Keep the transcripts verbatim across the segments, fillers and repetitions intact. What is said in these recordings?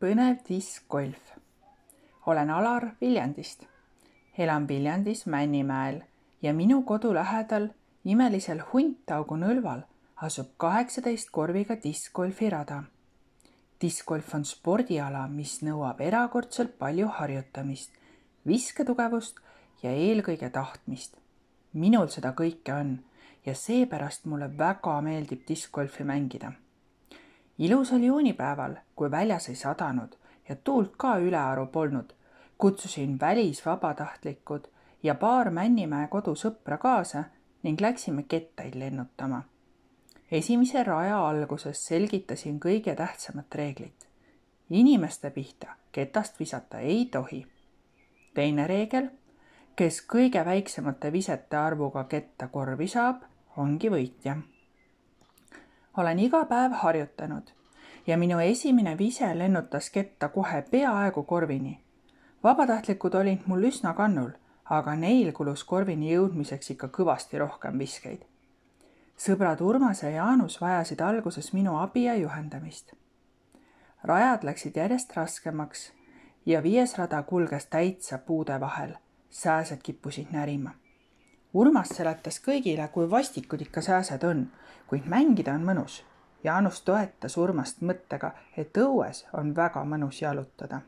Põnev diskgolf. Olen Alar Viljandist. Elan Viljandis Männimäel ja minu kodu lähedal imelisel Huntaugu nõlval asub kaheksateist korviga diskgolfi rada. Diskgolf on spordiala, mis nõuab erakordselt palju harjutamist, visketugevust ja eelkõige tahtmist. Minul seda kõike on ja seepärast mulle väga meeldib diskgolfi mängida. Ilusal juunipäeval, kui väljas ei sadanud ja tuult ka ülearu polnud, kutsusin välisvabatahtlikud ja paar Männimäe kodusõpra kaasa ning läksime kettaid lennutama. Esimese raja alguses selgitasin kõige tähtsamat reeglit. Inimeste pihta ketast visata ei tohi. Teine reegel, kes kõige väiksemate visete arvuga ketta korvi saab, ongi võitja. Olen iga päev harjutanud ja minu esimene vise lennutas ketta kohe peaaegu korvini. Vabatahtlikud olid mul üsna kannul, aga neil kulus korvini jõudmiseks ikka kõvasti rohkem viskeid. Sõbrad Urmas ja Jaanus vajasid alguses minu abi ja juhendamist. Rajad läksid järjest raskemaks ja viies rada kulges täitsa puude vahel. Sääsed kippusid närima. Urmas seletas kõigile, kui vastikud ikka sääsed on, kuid mängida on mõnus. Jaanus toetas Urmast mõttega, et õues on väga mõnus jalutada.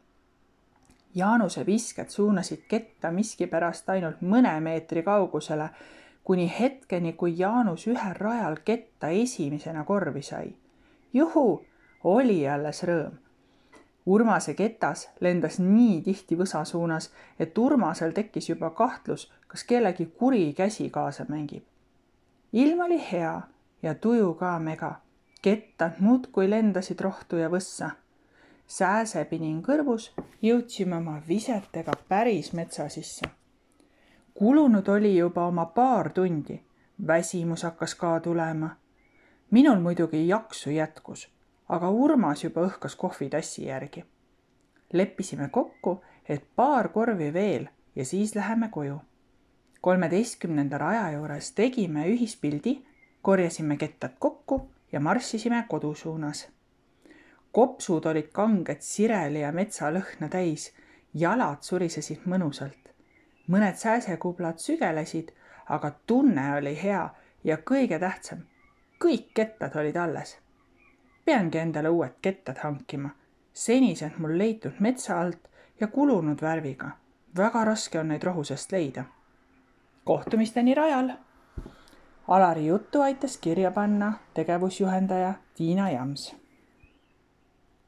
Jaanuse visked suunasid ketta miskipärast ainult mõne meetri kaugusele, kuni hetkeni, kui Jaanus ühel rajal ketta esimesena korvi sai. Juhu, oli alles rõõm. Urmase ketas lendas nii tihti võsa suunas, et Urmasel tekkis juba kahtlus, kas kellegi kuri käsi kaasa mängib. Ilm oli hea ja tuju ka mega. Kettad muudkui lendasid rohtu ja võssa. Sääsepinin kõrvus jõudsime oma visetega päris metsa sisse. Kulunud oli juba oma paar tundi. Väsimus hakkas ka tulema. Minul muidugi jaksu jätkus, aga Urmas juba õhkas kohvitassi järgi. Leppisime kokku, et paar korvi veel ja siis läheme koju. kolmeteistkümnenda raja juures tegime ühispildi, korjasime kettad kokku ja marssisime kodu suunas. Kopsud olid kanged sireli ja metsalõhna täis, jalad surisesid mõnusalt. Mõned sääsekublad sügelesid, aga tunne oli hea ja kõige tähtsam, kõik kettad olid alles. Peangi endale uued kettad hankima. Senised mul leitud metsa alt ja kulunud värviga. Väga raske on neid rohusest leida. Kohtumisteni rajal. Alari juttu aitas kirja panna tegevusjuhendaja Tiina Jams.